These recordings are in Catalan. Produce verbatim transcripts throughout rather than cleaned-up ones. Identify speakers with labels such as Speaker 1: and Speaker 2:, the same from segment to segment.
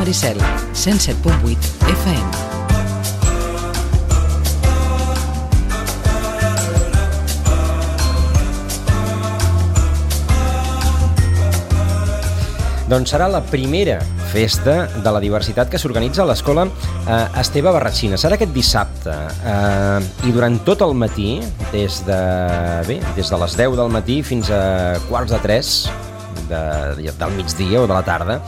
Speaker 1: Maricel, cent set punt vuit F M.
Speaker 2: Doncs serà la primera festa de la diversitat que s'organitza a l'escola eh, Esteve Barratxina. Serà aquest dissabte eh, i durant tot el matí, des de, bé, des de les deu del matí fins a quarts de tres de, del migdia o de la tarda,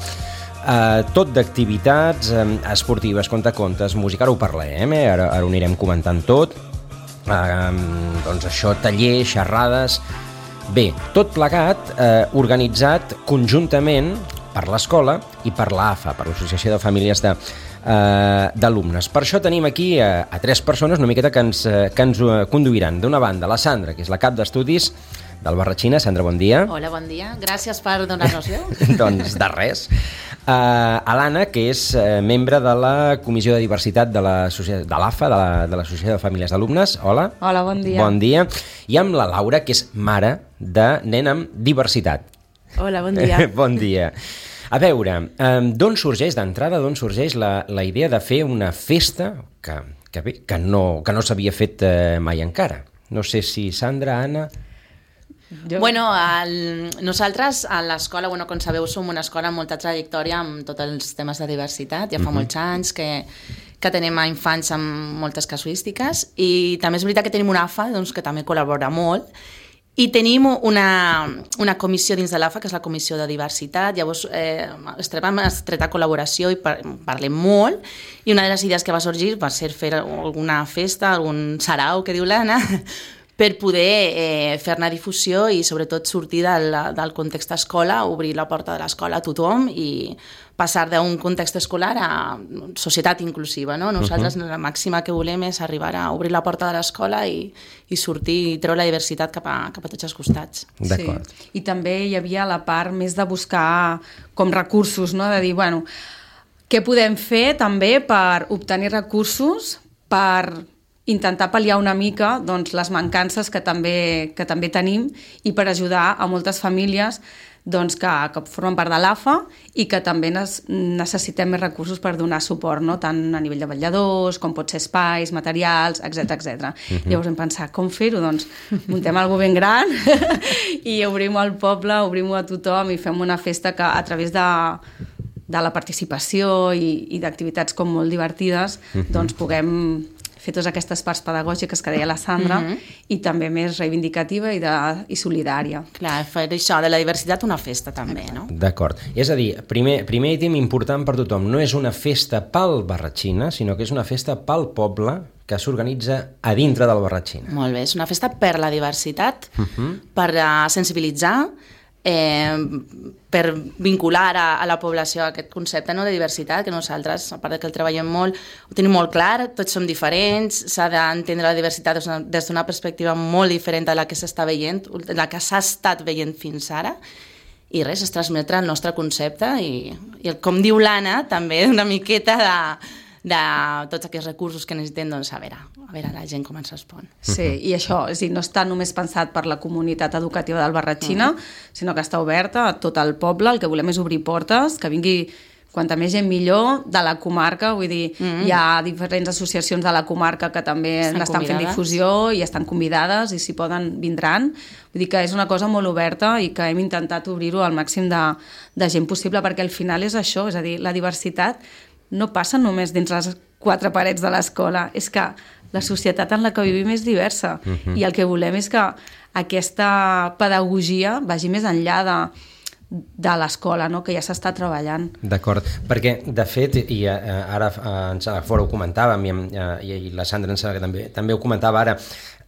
Speaker 2: eh, tot d'activitats eh, esportives, contacontes, música, ara ho parlem, eh? ara, ara ho anirem comentant tot, eh, doncs això, tallers, xerrades. Bé, tot plegat eh, organitzat conjuntament per l'escola i per l'A F A, per l'Associació de Famílies de, eh, d'Alumnes. Per això tenim aquí a, a tres persones una miqueta que ens, que ens conduiran. D'una banda, la Sandra, que és la cap d'estudis del Barratxina. Sandra, bon dia.
Speaker 3: Hola, bon dia. Gràcies per donar-nos veu.
Speaker 2: Doncs de res. Uh, a l'Anna, que és uh, membre de la Comissió de Diversitat de l'A F A, de, la, de l'Associació de Famílies d'Alumnes. Hola.
Speaker 4: Hola, bon dia.
Speaker 2: Bon dia. I amb la Laura, que és mare de nen amb diversitat.
Speaker 4: Hola, bon dia.
Speaker 2: Bon dia. A veure, eh, d'on sorgeix, d'entrada, d'on sorgeix la, la idea de fer una festa que, que, bé, que no, que no s'havia fet eh, mai encara? No sé si Sandra, Anna...
Speaker 3: Jo... Bueno, el, nosaltres a l'escola, bueno, com sabeu, som una escola amb molta trajectòria amb tots els temes de diversitat. Ja fa uh-huh. molts anys que, que tenim a infants amb moltes casuístiques i també és veritat que tenim una A F A doncs, que també col·labora molt. I tenim una, una comissió dins de l'A F A, que és la Comissió de Diversitat. Llavors, eh, estem en estreta col·laboració i par parlem molt. I una de les idees que va sorgir va ser fer alguna festa, algun sarau, que diu l'Anna, per poder eh, fer-ne difusió i sobretot sortir del, del context escola, obrir la porta de l'escola a tothom i passar d'un context escolar a societat inclusiva. No? Nosaltres uh-huh. la màxima que volem és arribar a obrir la porta de l'escola i, i sortir i treure la diversitat cap a, cap a tots els costats.
Speaker 2: D'acord.
Speaker 4: Sí. I també hi havia la part més de buscar com recursos, no? De dir, bueno, què podem fer també per obtenir recursos per intentar pal·liar una mica doncs, les mancances que també, que també tenim i per ajudar a moltes famílies doncs, que, que formen part de l'A F A i que també nes, necessitem més recursos per donar suport, no? Tant a nivell de vetlladors, com pot ser espais, materials, etcètera etcètera. Uh-huh. Llavors hem pensat, com fer-ho? Doncs muntem algo ben gran i obrim al poble, obrim-ho a tothom i fem una festa que a través de de la participació i, i d'activitats com molt divertides, uh-huh. doncs puguem fer totes aquestes parts pedagògiques que deia la Sandra uh-huh. i també més reivindicativa i, de, i solidària.
Speaker 3: Clar, fer això de la diversitat una festa també, no?
Speaker 2: D'acord. És a dir, primer, primer item important per tothom, no és una festa pel Barratxina, sinó que és una festa pel poble que s'organitza a dintre del Barratxina.
Speaker 3: Molt bé, és una festa per la diversitat, uh-huh. per uh, sensibilitzar, Eh, per vincular a, a la població a aquest concepte, no, de diversitat, que nosaltres, a part que el treballem molt, ho tenim molt clar, tots som diferents, s'ha d'entendre la diversitat des d'una perspectiva molt diferent de la que s'està veient, la que s'ha estat veient fins ara, i res, es transmetre el nostre concepte i, i com diu l'Anna, també una miqueta de, de tots aquests recursos que necessitem, doncs a veure, a veure la gent com ens respon.
Speaker 4: Sí, i això, és dir, no està només pensat per la comunitat educativa del Barratxina, uh-huh. sinó que està oberta a tot el poble, el que volem és obrir portes, que vingui quanta més gent millor de la comarca, vull dir, uh-huh. hi ha diferents associacions de la comarca que també estan n'estan convidades. Fent difusió i estan convidades i si poden vindran, vull dir que és una cosa molt oberta i que hem intentat obrir-ho al màxim de, de gent possible, perquè al final és això, és a dir, la diversitat no passa només dins les quatre parets de l'escola, és que la societat en la que vivim és diversa uh-huh. i el que volem és que aquesta pedagogia vagi més enllà de, de l'escola, no? Que ja s'està treballant.
Speaker 2: D'acord, perquè de fet, i uh, ara uh, ens fora ho comentàvem i, uh, i la Sandra ens que també, també ho comentava ara,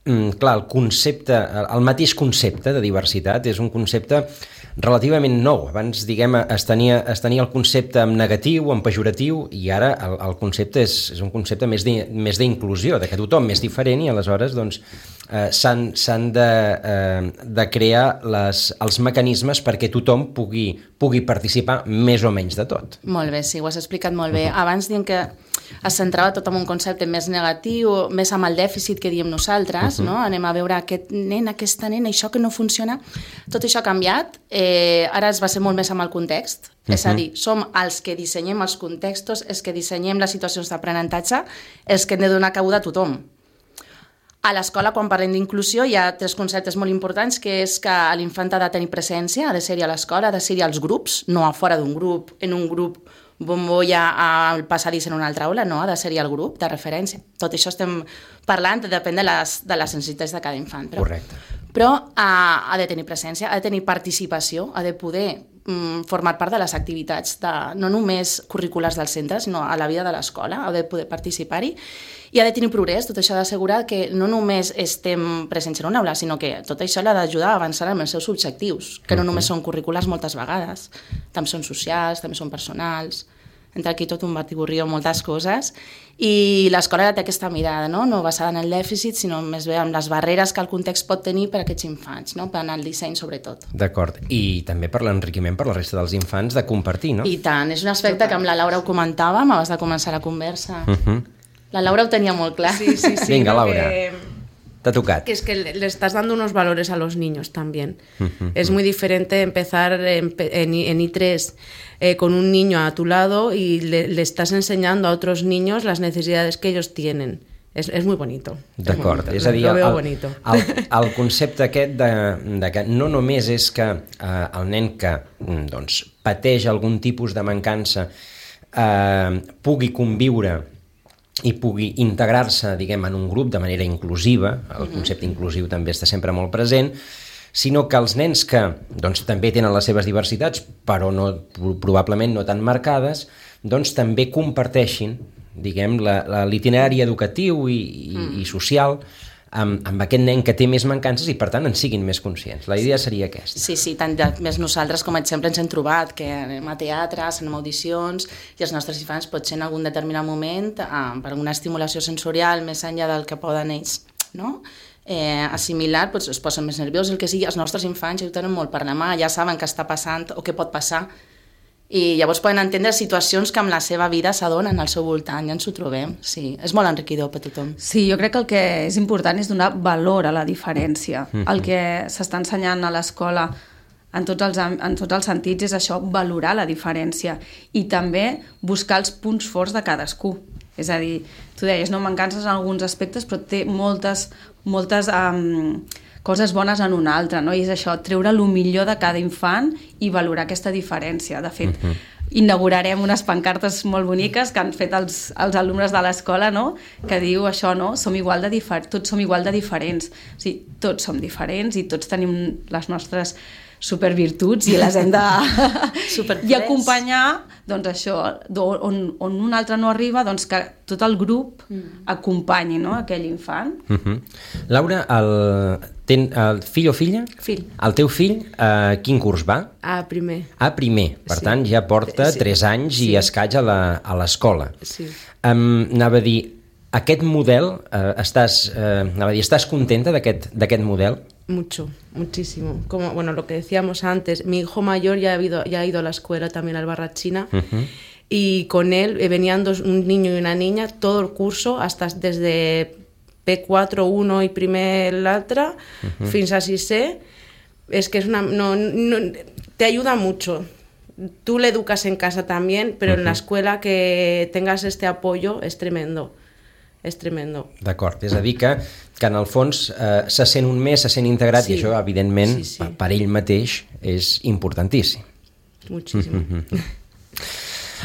Speaker 2: um, clar, el concepte, el mateix concepte de diversitat és un concepte relativament nou. Abans, diguem, es tenia, es tenia el concepte en negatiu, en pejoratiu, i ara el, el concepte és, és un concepte més d'inclusió, de que tothom és diferent i aleshores doncs, eh, s'han de, eh, de crear les, els mecanismes perquè tothom pugui pugui participar més o menys de tot.
Speaker 3: Molt bé, sí, ho has explicat molt bé. Uh-huh. Abans diem que es centrava tot en un concepte més negatiu, més amb el dèficit que diem nosaltres, uh-huh. no? Anem a veure aquest nen, aquesta nena, això que no funciona. Tot això ha canviat, eh, ara es va ser molt més amb el context, uh-huh. és a dir, som els que dissenyem els contextos, els que dissenyem les situacions d'aprenentatge, els que hem de donar cabuda a tothom. A l'escola, quan parlem d'inclusió, hi ha tres conceptes molt importants, que és que l'infant ha de tenir presència, ha de ser-hi a l'escola, ha de ser-hi als grups, no a fora d'un grup, en un grup bombolla al passadís en una altra aula, no, ha de ser-hi al grup de referència. Tot això estem parlant, depèn de les, de les necessitats de cada infant. Però,
Speaker 2: Correcte.
Speaker 3: Però ha, ha de tenir presència, ha de tenir participació, ha de poder mm, formar part de les activitats, de, no només curriculars del centre, sinó a la vida de l'escola, ha de poder participar-hi, i ha de tenir progrés. Tot això ha d'assegurar que no només estem presents en una aula, sinó que tot això l'ha d'ajudar a avançar en els seus objectius, que no uh-huh. només són curriculars moltes vegades, també són socials, també són personals, entre aquí tot un batiburri amb moltes coses, i l'escola té aquesta mirada, no? No basada en el dèficit, sinó més bé en les barreres que el context pot tenir per a aquests infants, no? Per al disseny sobretot.
Speaker 2: D'acord, i també per l'enriquiment per la resta dels infants de compartir, no?
Speaker 3: I tant, és un aspecte que amb la Laura ho comentàvem abans de començar la conversa. Uh-huh. La Laura ho tenía muy claro.
Speaker 5: Sí, sí, sí.
Speaker 2: Venga,
Speaker 5: no,
Speaker 2: Laura.
Speaker 5: Que,
Speaker 2: Te ha tocado.
Speaker 5: Que es que le, le estás dando unos valores a los niños también.
Speaker 2: Uh-huh.
Speaker 5: Es muy diferente empezar en, en, en I tres eh, con un niño a tu lado y le, le estás enseñando a otros niños las necesidades que ellos tienen. És, és molt bonito.
Speaker 2: D'acord, és a dir, el, el, el, el concepte aquest de, de que no només és que eh, el nen que doncs, pateix algun tipus de mancança eh, pugui conviure i pugui integrar-se, diguem, en un grup de manera inclusiva, el concepte inclusiu també està sempre molt present, sinó que els nens que doncs, també tenen les seves diversitats, però no, probablement no tan marcades, doncs també comparteixin, diguem, l'itinerari educatiu i, i, mm. i social amb, amb aquest nen que té més mancances i, per tant, en siguin més conscients. La idea seria aquesta.
Speaker 3: Sí, sí, tant de, més nosaltres com a exemple ens hem trobat que anem a teatres, anem a audicions i els nostres infants potser en algun determinat moment eh, per alguna estimulació sensorial més enllà del que poden ells, no? Eh, assimilar, doncs es posen més nerviosos, el que sigui, els nostres infants ja ho tenen molt per la mà, ja saben què està passant o què pot passar, i llavors poden entendre situacions que amb la seva vida s'adonen al seu voltant, ja ens ho trobem. Sí, és molt enriquidor per tothom.
Speaker 4: Sí, jo crec que el que és important és donar valor a la diferència. Mm-hmm. El que s'està ensenyant a l'escola en tots, els, en tots els sentits és això, valorar la diferència i també buscar els punts forts de cadascú. És a dir, tu deies, no, mancances en alguns aspectes, però té moltes, moltes um, coses bones en un altre, no? I és això, treure el millor de cada infant i valorar aquesta diferència. De fet, uh-huh. inaugurarem unes pancartes molt boniques que han fet els, els alumnes de l'escola, no? Que diu això, no? Som igual de difer- tots som igual de diferents. O sigui, tots som diferents i tots tenim les nostres supervirtuts i les hem de i acompanyar doncs això, on, on un altre no arriba, doncs que tot el grup mm. acompanyi, no? Aquell infant.
Speaker 2: Uh-huh. Laura, el, ten, el fill o filla?
Speaker 5: Fill.
Speaker 2: El teu fill, eh, quin curs va?
Speaker 5: A primer.
Speaker 2: A primer, per sí. tant ja porta sí. tres anys sí. i escaig a l'escola.
Speaker 5: Sí.
Speaker 2: Um, anava a dir, aquest model, eh, estàs, eh, anava a dir, estàs contenta d'aquest d'aquest model?
Speaker 5: Mucho, muchísimo. Como, bueno, lo que decíamos antes, mi hijo mayor ya ha ido, ya ha ido a la escuela también al Barrachina uh-huh. y con él eh, venían dos, un niño y una niña todo el curso, hasta desde P cuatro, uno y primer l'altre, uh-huh. fins a sisè. Es que es una, no, no, te ayuda mucho. Tú le educas en casa también, pero uh-huh. en la escuela que tengas este apoyo es tremendo. És tremendo.
Speaker 2: D'acord, és a dir que, que en el fons eh, se sent un més, se sent integrat sí. i això evidentment sí, sí. per ell mateix és importantíssim.
Speaker 5: Moltíssim.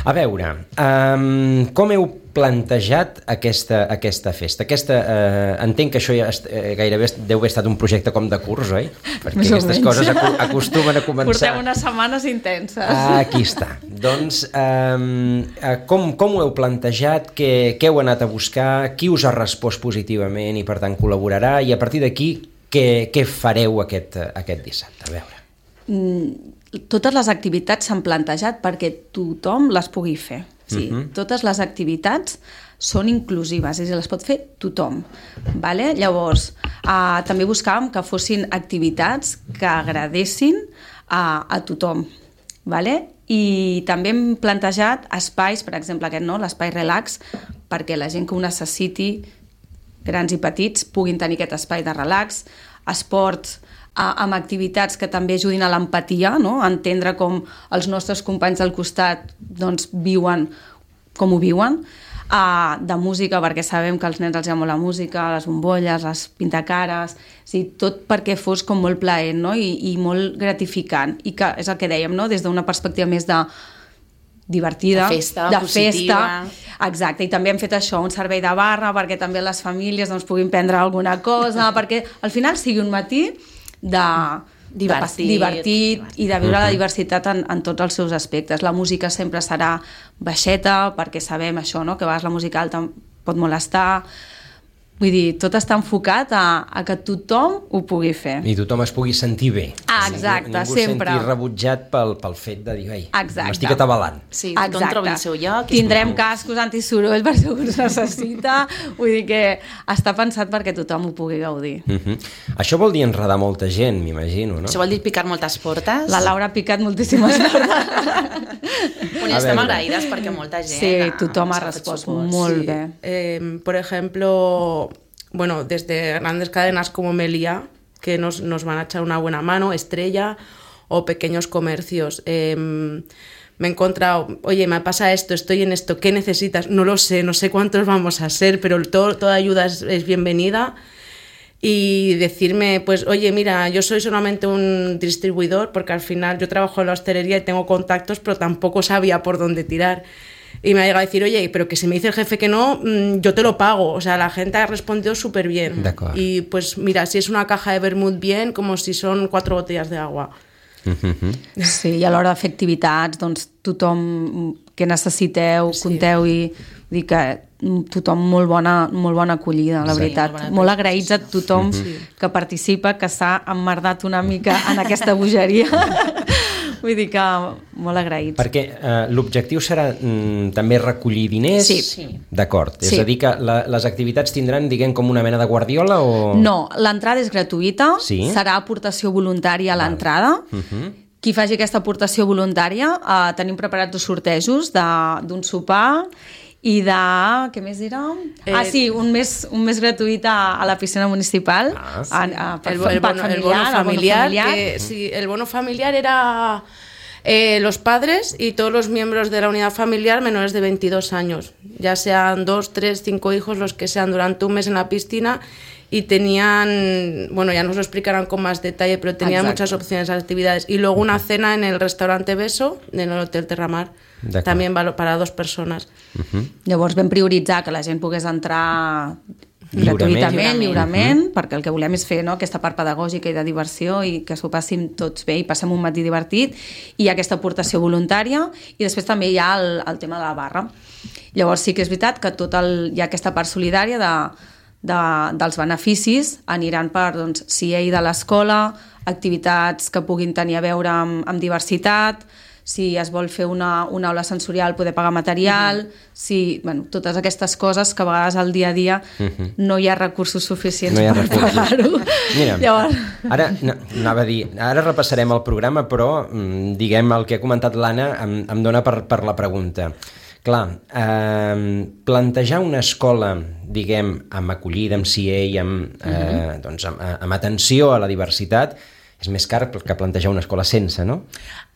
Speaker 2: A veure, um, com heu plantejat aquesta, aquesta festa? Aquesta, uh, entenc que això ja est, uh, gairebé deu haver estat un projecte com de curs, oi? Perquè més aquestes coses acu acostumen a començar...
Speaker 4: Portem unes setmanes intenses.
Speaker 2: Ah, aquí està. Doncs, um, uh, com, com ho heu plantejat? Què, què heu anat a buscar? Qui us ha respost positivament i, per tant, col·laborarà? I a partir d'aquí, què, què fareu aquest, aquest dissabte? A veure.
Speaker 4: Mm, totes les activitats s'han plantejat perquè tothom les pugui fer. Sí, uh-huh. Totes les activitats són inclusives, és a dir, les pot fer tothom. Vale? Llavors, eh, també buscàvem que fossin activitats que agradessin a, a tothom. vale? I també hem plantejat espais, per exemple aquest, no? L'espai relax, perquè la gent que ho necessiti, grans i petits, puguin tenir aquest espai de relax, esports, amb activitats que també ajudin a l'empatia, no? A entendre com els nostres companys del costat doncs, viuen com ho viuen, uh, de música, perquè sabem que als nens els llama la música, les bombolles, les pintacares, o sigui, tot perquè fos com molt plaent, no? I, i molt gratificant, i que és el que dèiem, no? Des d'una perspectiva més de divertida,
Speaker 3: de festa,
Speaker 4: de
Speaker 3: positiva.
Speaker 4: Festa, exacte, i també hem fet això, un servei de barra perquè també les famílies doncs, puguin prendre alguna cosa, perquè al final sigui un matí de divertit, de, divertit, divertit i de viure la diversitat en, en tots els seus aspectes. La música sempre serà baixeta, perquè sabem això, no? Que a vegades la música alta pot molestar. Vull dir, tot està enfocat a, a que tothom ho pugui fer.
Speaker 2: I tothom es pugui sentir bé.
Speaker 4: Ah, exacte,
Speaker 2: ningú
Speaker 4: sempre.
Speaker 2: Ningú sentir rebutjat pel, pel fet de dir, ei, m'estic
Speaker 4: Exacte.
Speaker 2: atabalant.
Speaker 3: Sí, tothom trobi el seu lloc.
Speaker 4: Tindrem cascos antisoroll per si algú es necessita. Vull dir que està pensat perquè tothom ho pugui gaudir.
Speaker 2: Uh-huh. Això vol dir enredar molta gent, m'imagino, no?
Speaker 3: Això vol dir picar moltes portes.
Speaker 4: La Laura ha picat moltíssimes portes.
Speaker 3: Bueno, estem agraïdes perquè molta gent
Speaker 4: Sí,
Speaker 3: ha,
Speaker 4: tothom ha
Speaker 3: ha fet
Speaker 4: respost
Speaker 3: suport.
Speaker 4: molt
Speaker 5: Sí.
Speaker 4: bé.
Speaker 5: Eh, por ejemplo, bueno, desde grandes cadenas como Melia, que nos, nos van a echar una buena mano, Estrella, o pequeños comercios. Eh, me he encontrado, oye, me pasa esto, estoy en esto, ¿qué necesitas? No lo sé, no sé cuántos vamos a ser, pero todo, toda ayuda es, es bienvenida. Y decirme, pues, oye, mira, yo soy solamente un distribuidor, porque al final yo trabajo en la hostelería y tengo contactos, pero tampoco sabía por dónde tirar. Y me ha llegado a decir, oye, pero que si me dice el jefe que no, yo te lo pago. O sea, la gente ha respondido súper bien. Y pues mira, si es una caja de vermut, bien, como si son cuatro botellas de agua.
Speaker 4: Sí, i a l'hora de fer activitats, doncs tothom que necessiteu, sí. Conteu i dir que tothom molt bona, molt bona acollida, la
Speaker 3: Sí,
Speaker 4: veritat.
Speaker 3: molt,
Speaker 4: Molt agraïts a tothom sí. que participa, que s'ha emmerdat una mica en aquesta bogeria. Vull dir que molt agraïts.
Speaker 2: Perquè eh, l'objectiu serà mm, també recollir diners?
Speaker 4: Sí.
Speaker 3: Sí.
Speaker 2: D'acord.
Speaker 4: Sí.
Speaker 2: És a dir, que la, les activitats tindran, diguem, com una mena de guardiola o...?
Speaker 4: No, l'entrada és gratuïta,
Speaker 2: Sí.
Speaker 4: serà aportació voluntària a l'entrada.
Speaker 2: Uh-huh.
Speaker 4: Qui faci aquesta aportació voluntària, eh, tenim preparats dos sortejos de- d'un sopar i de... què més dirà? Eh, ah, sí, un mes, un mes gratuït a, a la piscina municipal.
Speaker 2: Ah, sí.
Speaker 4: a, a, per,
Speaker 5: El,
Speaker 4: el,
Speaker 5: el, bono,
Speaker 4: familiar,
Speaker 5: el bono familiar,
Speaker 4: el bono familiar.
Speaker 5: que, sí, el bono familiar era eh, los padres y todos los miembros de la unidad familiar menores de veintidós años, ya sean dos, tres, cinco hijos, los que sean, durante un mes en la piscina, y tenían, bueno, ya nos lo explicarán con más detalle, pero tenían
Speaker 4: Exacto.
Speaker 5: muchas opciones de actividades. Y luego una cena en el restaurante Beso, en el Hotel Terramar, también para dos personas.
Speaker 2: Uh-huh.
Speaker 4: Llavors vam prioritzar que la gent pogués entrar
Speaker 2: Lliurement.
Speaker 4: gratuïtament, lliurement,
Speaker 2: Mhm.
Speaker 4: perquè el que volem és fer, no?, aquesta part pedagògica i de diversió i que s'ho passin tots bé i passem un matí divertit, i aquesta aportació voluntària, i després també hi ha el, el tema de la barra. Llavors sí que és veritat que tot el, hi ha aquesta part solidària de, de, dels beneficis, aniran per doncs, C A de l'escola, activitats que puguin tenir a veure amb, amb diversitat, si es vol fer una, una aula sensorial poder pagar material, uh-huh. si, bueno, totes aquestes coses que a vegades al dia a dia uh-huh. no hi ha recursos suficients
Speaker 2: no hi ha
Speaker 4: per
Speaker 2: recursos.
Speaker 4: pagar-ho.
Speaker 2: Mira,
Speaker 4: Llavors...
Speaker 2: ara no, anava a dir, ara repassarem el programa, però mm, diguem el que ha comentat l'Anna em, em dona per, per la pregunta. Clar, eh, plantejar una escola, diguem, amb acollida, amb C A, amb, eh, uh-huh. doncs, amb, amb atenció a la diversitat, és més car que plantejar una escola sense, no?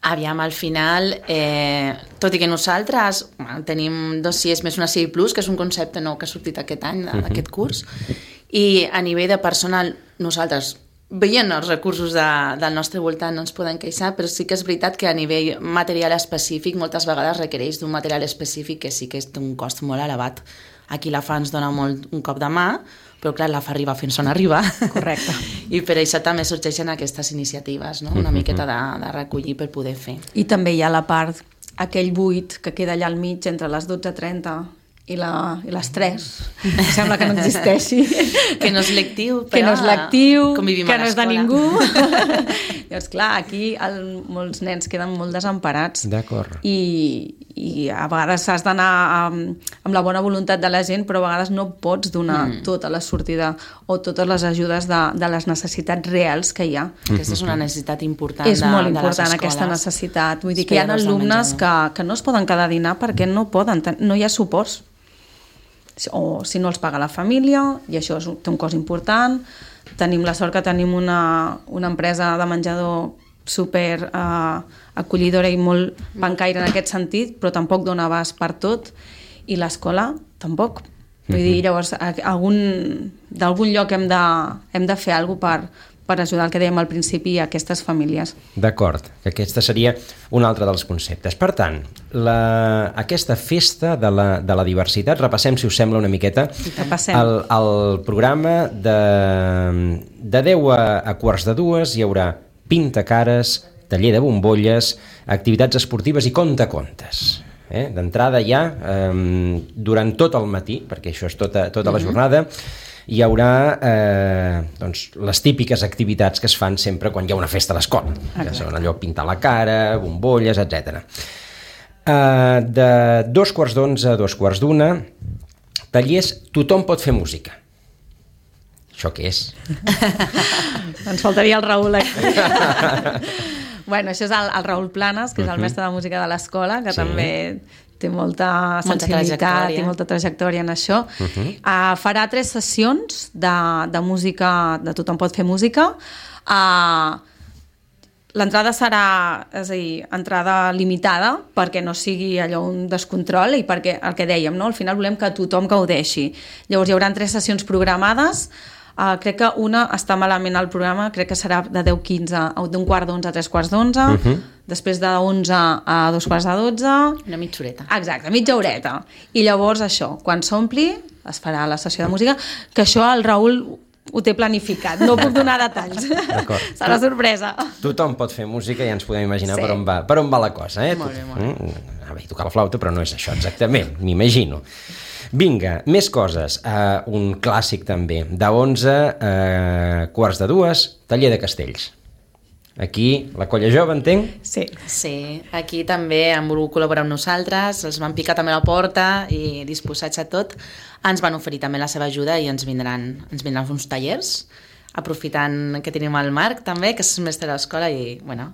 Speaker 3: Aviam, al final, eh, tot i que nosaltres bueno, tenim dos C I Es més una C I Plus, que és un concepte nou que ha sortit aquest any, uh-huh. aquest curs, i a nivell de personal, nosaltres, veient els recursos de, del nostre voltant, no ens podem queixar, però sí que és veritat que a nivell material específic moltes vegades requereix d'un material específic que sí que és d'un cost molt elevat. Aquí la F A ens dona molt un cop de mà, però clar, la F A arriba fins on arriba.
Speaker 4: Correcte.
Speaker 3: I per això també sorgeixen aquestes iniciatives, no? Una miqueta de, de recollir per poder fer.
Speaker 4: I també hi ha la part, aquell buit que queda allà al mig entre les dotze trenta i la, i l'estrès. Sembla que no existeixi.
Speaker 3: Que no és lectiu, però
Speaker 4: que no és lectiu,
Speaker 3: convivim
Speaker 4: que
Speaker 3: a
Speaker 4: no és de
Speaker 3: l'escola.
Speaker 4: ningú. Llavors, clar, aquí el, molts nens queden molt desemparats.
Speaker 2: D'acord.
Speaker 4: I, I a vegades has d'anar amb, amb la bona voluntat de la gent, però a vegades no pots donar mm. tota la sortida o totes les ajudes de, de les necessitats reals que hi ha.
Speaker 3: Aquesta és una necessitat important
Speaker 4: És
Speaker 3: de,
Speaker 4: molt
Speaker 3: de les
Speaker 4: important
Speaker 3: escoles.
Speaker 4: aquesta necessitat. Vull dir que hi ha
Speaker 3: Esperar-los al
Speaker 4: alumnes que,
Speaker 3: menjador.
Speaker 4: que no es poden quedar a dinar perquè no poden, no hi ha suports. O si no els paga la família, i això és, té un cost important. Tenim la sort que tenim una, una empresa de menjador super eh, acollidora i molt bancaire en aquest sentit, però tampoc dona abast per tot, i l'escola tampoc. Vull dir, llavors, algun, d'algun lloc hem de, hem de fer alguna cosa per, per ajudar el que dèiem al principi a aquestes famílies.
Speaker 2: D'acord, que aquesta seria un altre dels conceptes. Per tant, la, aquesta festa de la, de la diversitat, repassem, si us sembla, una miqueta,
Speaker 4: Repassem.
Speaker 2: el, el programa de, de deu a, a quarts de dues hi haurà pintacares, taller de bombolles, activitats esportives i contacontes. Eh? D'entrada ja, eh, durant tot el matí, perquè això és tota, tota la jornada, hi haurà eh, doncs, les típiques activitats que es fan sempre quan hi ha una festa a l'escola, que són allò pintar la cara, bombolles, etcètera. Eh, de dos quarts d'onze a dos quarts d'una, tallers Tothom pot fer música. Això què és?
Speaker 4: Ens faltaria el Raül aquí. Bueno, això és el, el Raül Planes, que és el mestre de música de l'escola, que
Speaker 2: Sí.
Speaker 4: també té molta
Speaker 3: Molta
Speaker 4: sensibilitat
Speaker 3: trajectòria.
Speaker 4: i molta trajectòria en això. Uh-huh. uh, farà tres sessions de, de música, de Tothom pot fer música. Uh, L'entrada serà, és a dir, entrada limitada perquè no sigui allò un descontrol i perquè, el que dèiem, no? Al final volem que tothom gaudeixi. Llavors hi haurà tres sessions programades. Uh, crec que una està malament al programa, crec que serà de deu a quinze, d'un quart d'onze a tres quarts d'onze, uh-huh. després de onze a dos quarts de dotze...
Speaker 3: Una mitja horeta.
Speaker 4: Exacte, mitja horeta. I llavors això, quan s'ompli, es farà la sessió de música, que això el Raül ho té planificat, no puc donar detalls. Serà sorpresa.
Speaker 2: Tothom pot fer música i ja ens podem imaginar
Speaker 4: Sí.
Speaker 2: per, on va, per on va la cosa. Eh?
Speaker 3: Molt bé, molt bé.
Speaker 2: Mm, a veure, tocar la flauta, però no és això exactament, m'imagino. Vinga, més coses. Uh, un clàssic també. De onze a uh, quarts de dues, taller de castells. Aquí, la colla jove, entenc?
Speaker 4: Sí.
Speaker 3: Sí, aquí també han volgut col·laborar amb nosaltres, els van picar també a la porta i disposats a tot, ens van oferir també la seva ajuda i ens vindran, ens vindran uns tallers, aprofitant que tenim el Marc també, que és mestre de l'escola i, bueno,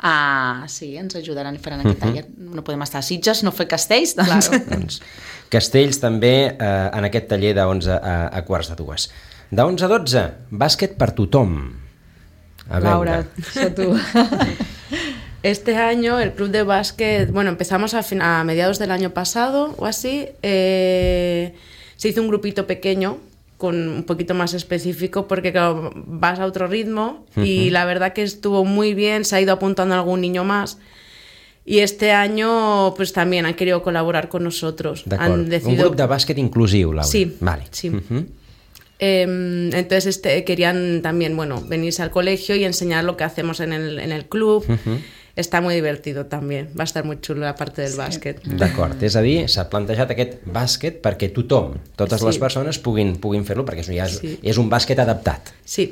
Speaker 3: uh, sí, ens ajudaran i faran aquest taller. No podem estar a Sitges, no fer castells, doncs...
Speaker 4: Claro.
Speaker 2: Doncs, castells també eh, en aquest taller de onze a, a quarts de dues. De onze a dotze, bàsquet per tothom. A
Speaker 4: Laura,
Speaker 2: veure.
Speaker 4: això tu.
Speaker 5: Este año el club de básquet, bueno, empezamos a, fin- a mediados del año pasado o así, eh, se hizo un grupito pequeño con un poquito más específico porque claro, vas a otro ritmo y la verdad que estuvo muy bien, se ha ido apuntando algún niño más y este año pues también han querido colaborar con nosotros.
Speaker 2: D'acord.
Speaker 5: Han decidido...
Speaker 2: Un grup de bàsquet inclusiu, Laura.
Speaker 5: Sí,
Speaker 2: vale.
Speaker 5: sí.
Speaker 2: Uh-huh.
Speaker 5: Eh, entonces este, querían también, bueno, venirse al colegio y enseñar lo que hacemos en el, en el club.
Speaker 2: Uh-huh.
Speaker 5: Está muy divertido también, va a estar muy chulo la parte del bàsquet.
Speaker 2: D'acord, és a dir, s'ha plantejat aquest bàsquet perquè tothom, totes
Speaker 5: Sí.
Speaker 2: les persones puguin, puguin fer-lo, perquè això ja és,
Speaker 5: Sí.
Speaker 2: és un bàsquet adaptat.
Speaker 5: Sí,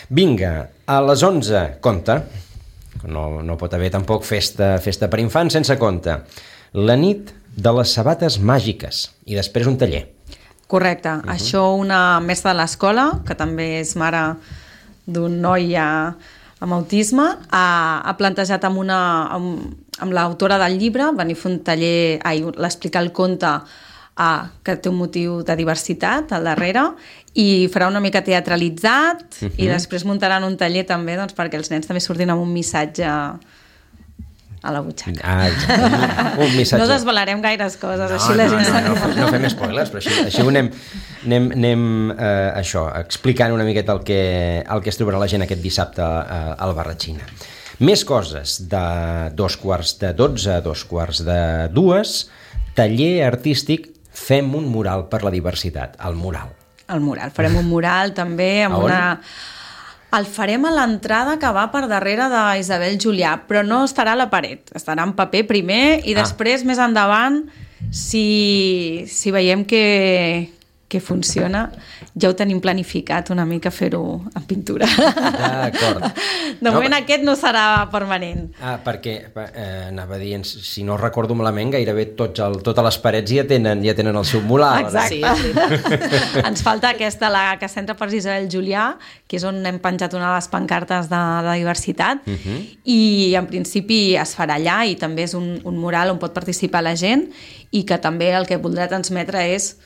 Speaker 2: Vinga, a les onze, compte, no, no pot haver tampoc festa, festa per infants sense compte, la nit de les sabates màgiques i després un taller.
Speaker 4: Correcte. Uh-huh. Això una mestra de l'escola, que també és mare d'un noi a, amb autisme, ha, ha plantejat amb, una, amb, amb l'autora del llibre venir a fer un taller, ai, l'explicar el conte a, que té un motiu de diversitat al darrere i farà una mica teatralitzat uh-huh. i després muntaran un taller també doncs, perquè els nens també surtin amb un missatge a la butxaca.
Speaker 2: Ah, exacte. Un missatge.
Speaker 4: No desvelarem gaires coses,
Speaker 2: No,
Speaker 4: així la
Speaker 2: no,
Speaker 4: gent...
Speaker 2: no, no, no fem spoilers, però així, així ho anem, anem, anem eh, això, explicant una miqueta el que, el que es trobarà la gent aquest dissabte a, al Barratxina. Més coses, de dos quarts de dotze a dos quarts de dues, taller artístic Fem un mural per la diversitat, el mural.
Speaker 4: El mural, farem un mural també amb
Speaker 2: A on?
Speaker 4: una... El farem a l'entrada que va per darrere d'Isabel Julià, però no estarà a la paret, estarà en paper primer i
Speaker 2: Ah.
Speaker 4: després, més endavant, si, si veiem que, que funciona, ja ho tenim planificat una mica fer-ho en pintura.
Speaker 2: D'acord.
Speaker 4: De moment no, aquest no serà permanent.
Speaker 2: Ah, perquè, eh, anava dient, si no recordo malament, gairebé tots el, totes les parets ja tenen, ja tenen el seu mural.
Speaker 4: Exacte. Sí, ens falta aquesta, la que s'entra per Isabel Julià, que és on hem penjat una de les pancartes de, de diversitat, uh -huh. i en principi es farà allà, i també és un, un mural on pot participar la gent, i que també el que voldrà transmetre és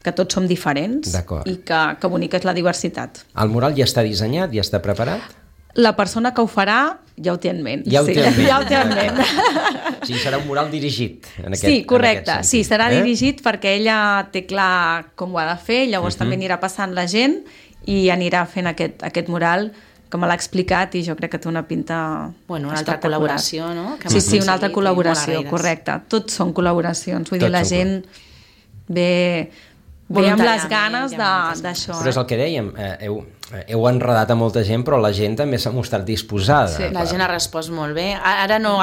Speaker 4: que tots som diferents i que, que bonica és la diversitat.
Speaker 2: El mural ja està dissenyat, ja està preparat?
Speaker 4: La persona que ho farà ja ho té en ment.
Speaker 2: Ja ho té en ment.
Speaker 4: Ja ho té en ment.
Speaker 2: O sigui, serà un mural dirigit. En aquest,
Speaker 4: sí, correcte.
Speaker 2: En aquest
Speaker 4: sí, serà
Speaker 2: eh?
Speaker 4: dirigit perquè ella té clar com ho ha de fer, llavors uh-huh. també anirà passant la gent i anirà fent aquest, aquest mural que me l'ha explicat i jo crec que té una pinta
Speaker 3: bueno, una altra col·laboració, no? Que
Speaker 4: sí, sí, una altra col·laboració, correcte. Tots són col·laboracions, vull Tots dir, la gent ve... ve amb les ganes d'això.
Speaker 2: Però és el que dèiem, eh, heu, heu enredat a molta gent, però la gent també s'ha mostrat disposada.
Speaker 3: Sí, la gent ha respost molt bé. Ara no,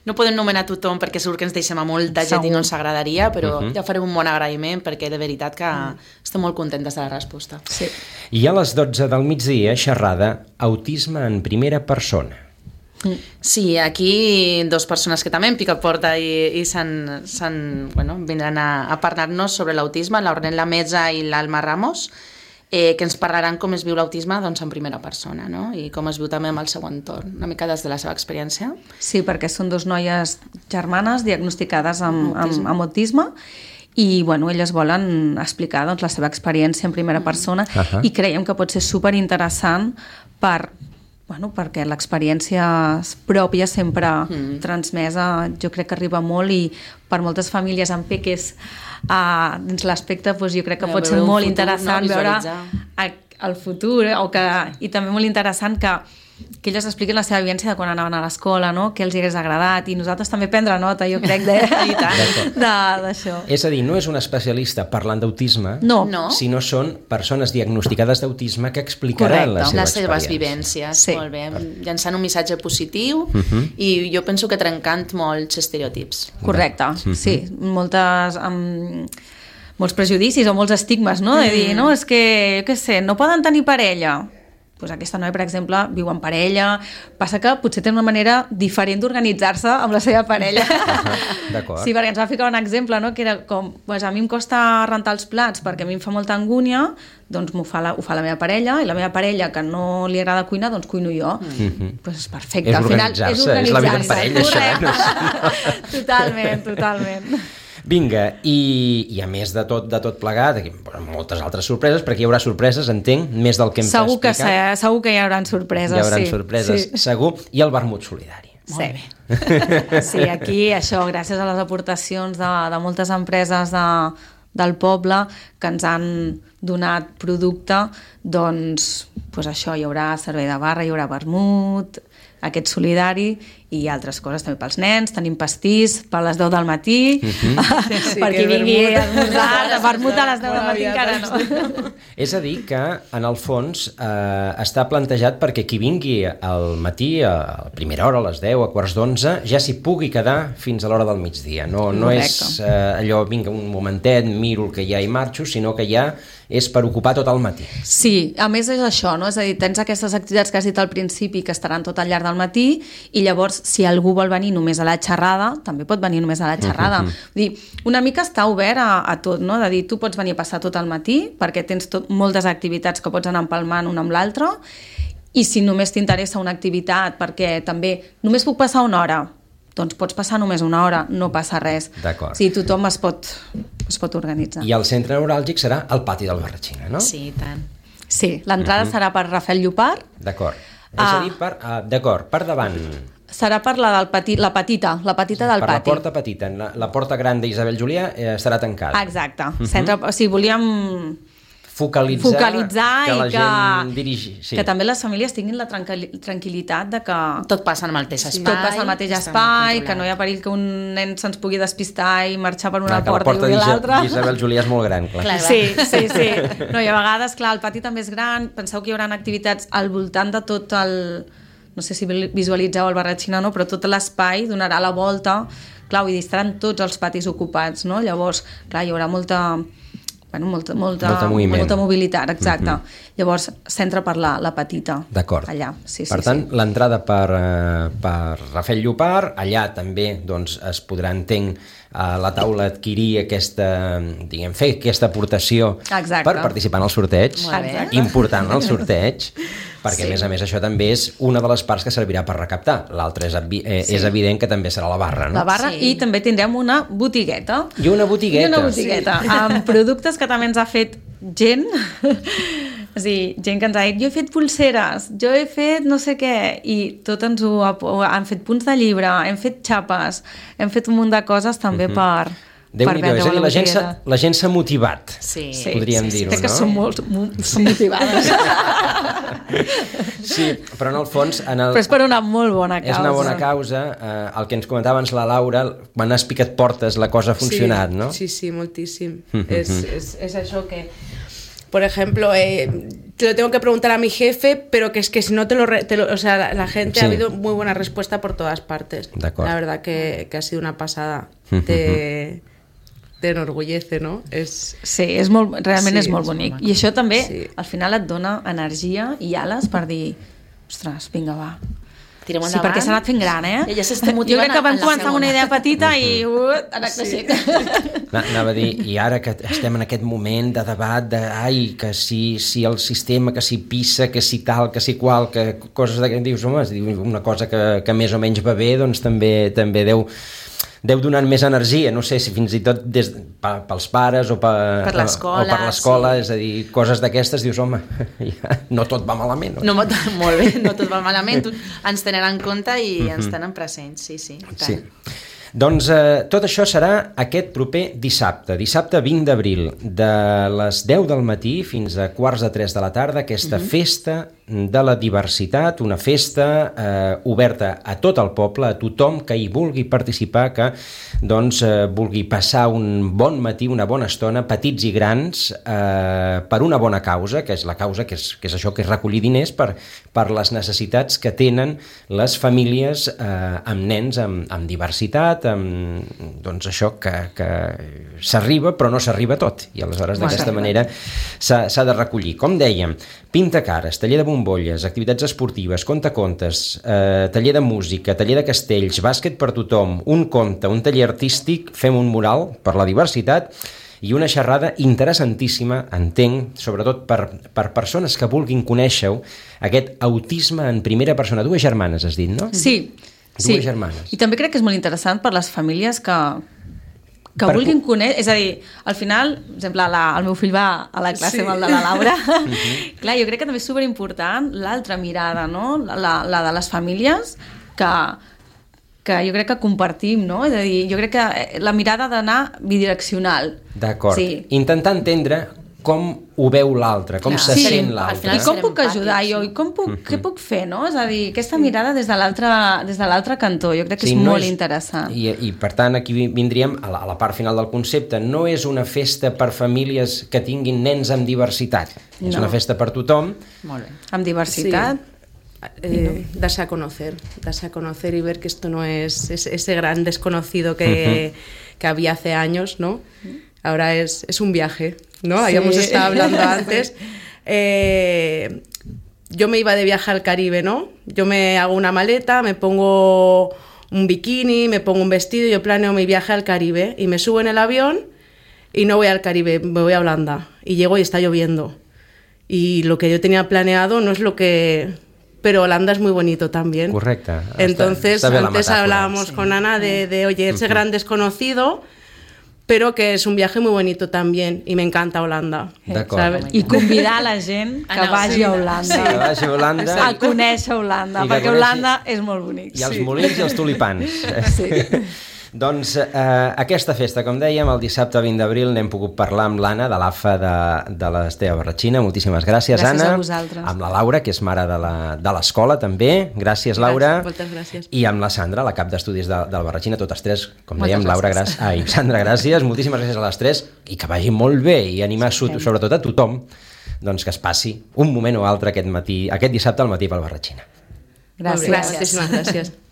Speaker 3: no podem nomenar tothom perquè segur que ens deixem a molta gent i no ens agradaria, però uh-huh. ja farem un bon agraïment perquè de veritat que uh-huh. estem molt contentes de la resposta.
Speaker 4: Sí.
Speaker 2: I a les dotze del migdia, xerrada Autisme en primera persona.
Speaker 3: Sí, aquí dos persones que també en pica porta i, i s'han, s'han, bueno, vindran a, a parlar-nos sobre l'autisme, l'Ornella Meza i l'Alma Ramos, eh, que ens parlaran com es viu l'autisme doncs, en primera persona, no? I com es viu també amb el seu entorn, una mica des de la seva experiència.
Speaker 4: Sí, perquè són dos noies germanes diagnosticades amb, amb, amb autisme i bueno, elles volen explicar doncs, la seva experiència en primera persona uh-huh. i creiem que pot ser superinteressant per... Bueno, perquè l'experiència pròpia sempre mm. transmesa jo crec que arriba molt i per moltes famílies amb peques uh, dins l'aspecte doncs jo crec que ja, pot ser molt futur, interessant no? veure el, el futur eh? o que, i també molt interessant que que elles expliquin la seva vivència de quan anaven a l'escola, no? Què els hagués agradat, i nosaltres també prendre nota, jo crec, d'això.
Speaker 2: És a dir, no és un especialista parlant d'autisme,
Speaker 4: no.
Speaker 3: no.
Speaker 2: sinó són persones diagnosticades d'autisme que explicaran la seva
Speaker 3: les seves
Speaker 2: experiència.
Speaker 3: vivències,
Speaker 4: sí.
Speaker 3: molt bé, llançant un missatge positiu uh-huh. i jo penso que trencant molts estereotips.
Speaker 4: Correcte, uh-huh. sí, moltes... Um, molts prejudicis o molts estigmes, no? De dir, no, és que, jo què sé, no poden tenir parella. Pues aquesta noia, per exemple, viu en parella, passa que potser té una manera diferent d'organitzar-se amb la seva parella.
Speaker 2: Uh-huh. D'acord.
Speaker 4: Sí, perquè ens va ficar un exemple, no? Que era com, pues a mi em costa rentar els plats perquè a mi em fa molta angúnia, doncs m'ho fa la, ho fa la meva parella, i la meva parella, que no li agrada cuinar, doncs cuino jo. Mm-hmm. Pues és perfecte.
Speaker 2: És
Speaker 4: Al final,
Speaker 2: organitzar-se,
Speaker 4: és, organitzar
Speaker 2: és la vida en parella, això.
Speaker 4: No? Totalment, totalment.
Speaker 2: Vinga, i, i a més de tot, de tot plegat, aquí, moltes altres sorpreses, perquè hi haurà sorpreses, entenc, més del que hem
Speaker 4: segur
Speaker 2: explicat.
Speaker 4: Que, segur que hi haurà sorpreses,
Speaker 2: Hi haurà
Speaker 4: sí.
Speaker 2: sorpreses, sí. segur. I el vermut solidari.
Speaker 4: Sí. Sí, aquí això, gràcies a les aportacions de, de moltes empreses de, del poble que ens han donat producte, doncs, doncs això, hi haurà servei de barra, hi haurà vermut, aquest solidari i altres coses també pels nens, tenim pastís per les deu del matí, uh-huh. sí, sí, per qui vingui a esmorzar, vermut a les deu del matí encara no.
Speaker 2: És a dir que, en el fons, eh, està plantejat perquè qui vingui al matí, a primera hora, a les deu, a quarts d'onze, ja s'hi pugui quedar fins a l'hora del migdia. No, no és eh, allò, vinga, un momentet, miro el que hi ha i marxo, sinó que ja és per ocupar tot el matí.
Speaker 4: Sí, a més és això, no? És a dir, tens aquestes activitats que has dit al principi que estaran tot al llarg del matí i llavors si algú vol venir només a la xerrada, també pot venir només a la xerrada. Uh-huh. Vull dir, una mica està obert a, a tot, no? De dir, tu pots venir a passar tot el matí perquè tens tot, moltes activitats que pots anar empalmant una amb l'altra i si només t'interessa una activitat perquè també només puc passar una hora, doncs pots passar només una hora, no passa res.
Speaker 2: D'acord.
Speaker 4: O sigui, tothom es pot, es pot organitzar.
Speaker 2: I el centre neuràlgic serà el pati del Barratxina, no?
Speaker 3: Sí, tant.
Speaker 4: Sí, l'entrada uh-huh. serà per Rafael Llopart.
Speaker 2: D'acord. És ah. a dir, per, uh, d'acord, per davant...
Speaker 4: Serà per la, del petit, la petita, la petita del
Speaker 2: per
Speaker 4: pati.
Speaker 2: Per la porta petita. La, la porta gran d'Isabel Julià eh, estarà tancada.
Speaker 4: Exacte. Uh-huh. Centre, o sigui, volíem...
Speaker 2: Focalitzar,
Speaker 4: focalitzar
Speaker 2: que la
Speaker 4: i que,
Speaker 2: gent dirigi. Sí.
Speaker 4: Que també les famílies tinguin la tranquil·litat de que...
Speaker 3: Tot passa en el mateix espai.
Speaker 4: Tot passa al mateix espai, que no hi ha perill que un nen se'ns pugui despistar i marxar per una
Speaker 2: clar,
Speaker 4: porta, porta i l'altra.
Speaker 2: La porta d'Isabel Julià és molt gran, clar.
Speaker 3: clar.
Speaker 4: Sí, sí, sí. No, i a vegades, clar, el pati també és gran. Penseu que hi haurà activitats al voltant de tot el... No sé si visualitzeu el Barratxina o no, però tot l'espai donarà la volta clar, vull dir, estaran tots els patis ocupats, no? Llavors, clar, hi haurà molta... Bueno, molta, molta,
Speaker 2: molta,
Speaker 4: molta mobilitat, exacte. Mm-hmm. Llavors, s'entra per la, la petita.
Speaker 2: D'acord.
Speaker 4: Allà, sí, sí.
Speaker 2: Per tant,
Speaker 4: sí.
Speaker 2: l'entrada per, uh, per Rafel Llopart, allà també doncs, es podrà, entenc, a la taula adquirir aquesta, diguem, fer aquesta aportació
Speaker 4: Exacte.
Speaker 2: Per participar en el sorteig. Important el sorteig, perquè sí. a més a més això també és una de les parts que servirà per recaptar. L'altra és, eh, sí. és evident que també serà la barra, no?
Speaker 4: La barra sí. I també tindrem una botigueta.
Speaker 2: I una botigueta.
Speaker 4: I una botigueta, sí. Amb productes que també ens ha fet gent, és a dir, gent que ens ha dit, jo he fet pulseres, jo he fet no sé què, i tot ens ho ha, han fet punts de llibre, hem fet xapes, hem fet un munt de coses també uh-huh. per...
Speaker 2: Déu-n'hi-do, és a dir, la gent, s'ha, la gent s'ha motivat,
Speaker 3: sí.
Speaker 2: podríem
Speaker 4: sí, sí,
Speaker 2: dir-ho,
Speaker 4: sí.
Speaker 2: no?
Speaker 4: Que són molt són motivades.
Speaker 2: Sí, però en el fons... En el,
Speaker 4: però és per una molt bona causa.
Speaker 2: És una bona causa. Eh, el que ens comentava abans la Laura, quan has picat portes la cosa ha funcionat,
Speaker 5: sí,
Speaker 2: no?
Speaker 5: Sí, sí, moltíssim. es, es, es això que... Por ejemplo, eh, te lo tengo que preguntar a mi jefe, pero que es que si no te lo... Re, te lo o sea, la, la gente sí. ha habido muy buena respuesta por todas partes. La verdad que, que ha sido una pasada. Te... t'enorgullece, no? És...
Speaker 4: Sí, és molt, realment sí, és molt
Speaker 5: és
Speaker 4: bonic.
Speaker 5: molt
Speaker 4: I això també, sí. al final et dona energia i ales per dir, ostres, vinga, va.
Speaker 3: Tirem endavant.
Speaker 4: Sí, perquè s'ha anat fent gran, eh?
Speaker 3: Ella s'està motivant.
Speaker 4: Jo crec que vam començar amb una idea petita i uh, anar creixent.
Speaker 2: Sí. Anava a dir, i ara que estem en aquest moment de debat de, ai, que si, si el sistema, que si pissa, que si tal, que si qual, que coses de... Dius, home, una cosa que, que més o menys va bé, doncs també, també deu... deu donant més energia, no sé si fins i tot des, pels pares o per,
Speaker 3: per l'escola,
Speaker 2: o per l'escola
Speaker 3: sí.
Speaker 2: És a dir, coses d'aquestes, dius, home, ja, no tot va malament.
Speaker 3: No, no molt bé, no tot va malament, ens tenen en compte i mm-hmm. ens tenen presents, sí, sí.
Speaker 2: Sí. Doncs eh, tot això serà aquest proper dissabte, dissabte vint d'abril, de les deu del matí fins a quarts de tres de la tarda, aquesta mm-hmm. festa de la diversitat, una festa eh, oberta a tot el poble, a tothom que hi vulgui participar, que doncs, eh, vulgui passar un bon matí, una bona estona, petits i grans, eh, per una bona causa, que és la causa que és, que és això, que és recollir diners per, per les necessitats que tenen les famílies eh, amb nens amb, amb diversitat, amb doncs això que, que s'arriba però no s'arriba tot, i aleshores d'aquesta manera s'ha de recollir. Com dèiem, pintacares, taller de bombolles, activitats esportives, contacontes, eh, taller de música, taller de castells, bàsquet per tothom, un conte, un taller artístic, fem un mural per la diversitat i una xerrada interessantíssima, entenc, sobretot per, per persones que vulguin conèixer-ho, aquest autisme en primera persona. Dues germanes, has dit, no?
Speaker 4: Sí,
Speaker 2: Dues
Speaker 4: sí.
Speaker 2: germanes.
Speaker 4: I també crec que és molt interessant per les famílies que... que per... vulguin conèixer, és a dir, al final, per exemple, la, el meu fill va a la classe sí. amb el de la Laura, uh-huh. clar, jo crec que també és superimportant l'altra mirada, no? La, la de les famílies que, que jo crec que compartim, no? És a dir, jo crec que la mirada ha d'anar bidireccional.
Speaker 2: D'acord.
Speaker 4: Sí.
Speaker 2: Intentar entendre com ho veu l'altre, com se
Speaker 4: sí,
Speaker 2: sent l'altre.
Speaker 4: I com puc ajudar jo? I com puc, uh-huh. què puc fer, no? És a dir, aquesta mirada des de l'altre des de l'altre cantó, jo crec que sí, és no molt és, interessant.
Speaker 2: I, I per tant aquí vindríem a la, a la part final del concepte. No és una festa per famílies que tinguin nens amb diversitat. No. És una festa per tothom.
Speaker 4: Molt bé. Amb diversitat.
Speaker 5: Sí. Eh, darse a conocer, darse a conocer y ver que esto no es, es ese gran desconocido que, uh-huh. que había hace años, ¿no? Ahora es, es un viaje, ¿no? Sí. Habíamos estado hablando antes. Eh, yo me iba de viaje al Caribe, ¿no? Yo me hago una maleta, me pongo un bikini, me pongo un vestido, yo planeo mi viaje al Caribe y me subo en el avión y no voy al Caribe, me voy a Holanda y llego y está lloviendo. Y lo que yo tenía planeado no es lo que... Pero Holanda es muy bonito también.
Speaker 2: Correcte.
Speaker 5: Entonces, está, está antes hablábamos sí. con Ana de, de oye, ese uh-huh. gran desconocido, pero que es un viaje muy bonito también, y me encanta Holanda.
Speaker 2: D'acord.
Speaker 4: I convidar la gent que no, vagi sí. a Holanda.
Speaker 2: Sí. Que vagi a Holanda.
Speaker 4: A conèixer Holanda, I perquè Holanda és molt bonic.
Speaker 2: I els sí. molins i els tulipans. Sí. Doncs eh, aquesta festa, com dèiem, el dissabte vint d'abril n'hem pogut parlar amb l'Anna de l'A F A de, de l'Esteve Barratxina. Moltíssimes gràcies, gràcies Anna.
Speaker 4: Gràcies a vosaltres.
Speaker 2: Amb la Laura, que és mare de l'escola també. Gràcies, Laura.
Speaker 5: Gràcies, moltes gràcies.
Speaker 2: I amb la Sandra, la cap d'estudis de, del Barratxina, totes tres, com moltes dèiem, Laura, gràcies. Ai, Sandra, gràcies. Moltíssimes gràcies a les tres i que vagi molt bé i animar sí. sobretot a tothom doncs, que es passi un moment o altre aquest matí, aquest dissabte al matí pel Barratxina.
Speaker 4: Gràcies.
Speaker 5: Gràcies. Gràcies.